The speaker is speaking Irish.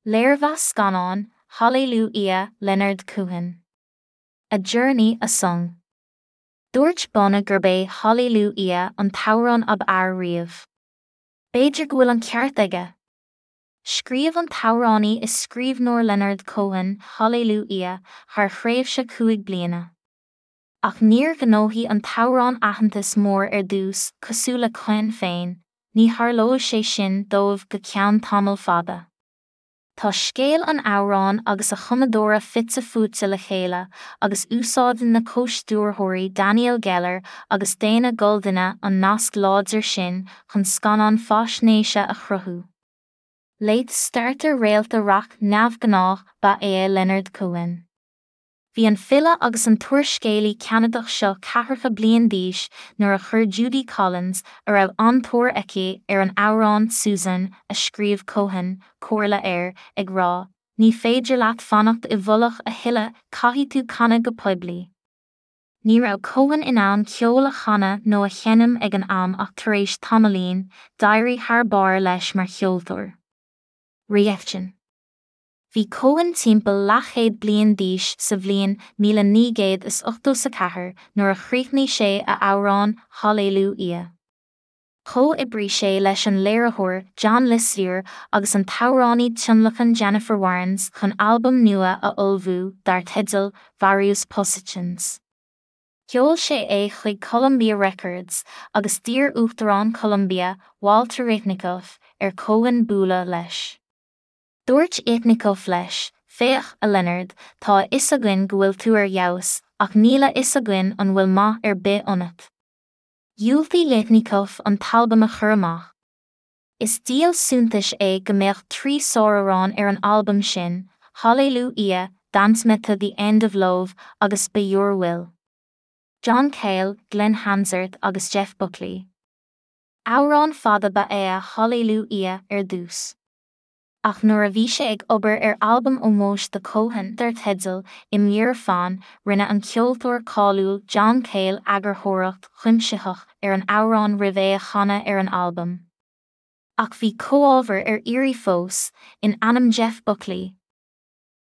Léirmheas scannáin, Hallelujah Leonard Cohen. A Journey, a Song. Dúirt Bono gurb é Hallelujah an t-amhrán ab fhearr riamh. B'fhéidir go bhfuil an ceart aige. Scríobh an t-amhránaí is scríbhneoir Leonard Cohen Hallelujah thar thréimhse 5 bliana. Ach níor ghnóthaigh an t-amhrán aitheantas mór ar dtús, cosúil le Cohen féin, ní tharlóidh sé sin dóibh go ceann tamall fada. Tá scéal an amhráin agus a chumadóra fite fuaite le chéile agus úsáideann na comhstiúrthóirí Daniel Geller agus Dana Goldina an nasc láidir sin chun scannán faisnéise a chruthú. Late starter Réalta rac neamhghnách ba ea Leonard Cohen. Bhí an file agus an t-úrscéalaí Ceanadach seo ceathracha bliain d'aois nuair a chuir Judy Collins, a raibh an-tóir aici ar an amhrán 'Suzanne' a scríobh Cohen, comhairle air, ag rá, 'Ní féidir leat fanacht i bhfolach a thuilleadh, caithfidh tú canadh go poiblí. Ní raibh Cohen in ann ceol a chanadh nó a sheinm ag an am ach tar éis tamaillín, d'éirigh thar barr leis mar cheoltóir. Reaction. Bhí Cohen timpeall leathchéad bliain d'aois sa bhliain 1984 nuair a chríochnaigh sé a amhrán Hallelujah. Chomhoibrigh sé leis an léiritheoir John Lislear agus an t-amhránaí tionlacain Jennifer Warnes chun albam nua a ullmhú dar teideal Various Positions. Sheol sé é chuig Columbia Records agus d'iarr Uachtarán Columbia, Walter Yetnikoff, ar Cohen bualadh leis. Dúirt Yetnikoff leis, Féach, a Leonard, tá a fhios againn go bhfuil tú ar fheabhas, ach níl a fhios againn an bhfuil maith ar bith ionat. Dhiúltaigh Yetnikoff an t-albam a chur amach. Is díol suntais é go mbeadh 3 sáramhrán ar an albam sin, Hallelujah, Dance Me to the End of Love agus By Your Will. John Cale, Glen Hansard agus Jeff Buckley. Amhrán fada ba ea Hallelujah ar dtús. Ach nuair a bhí sé ag obair ar albam ómóis do Cohen dar teideal Im Your Fan, rinne an ceoltóir cáiliúil John Cale eagarthóireacht chuimsitheach ar an amhrán roimh é a chanadh ar an albam. Ach bhí comhábhair ar iarraidh fós, in ainm Jeff Buckley.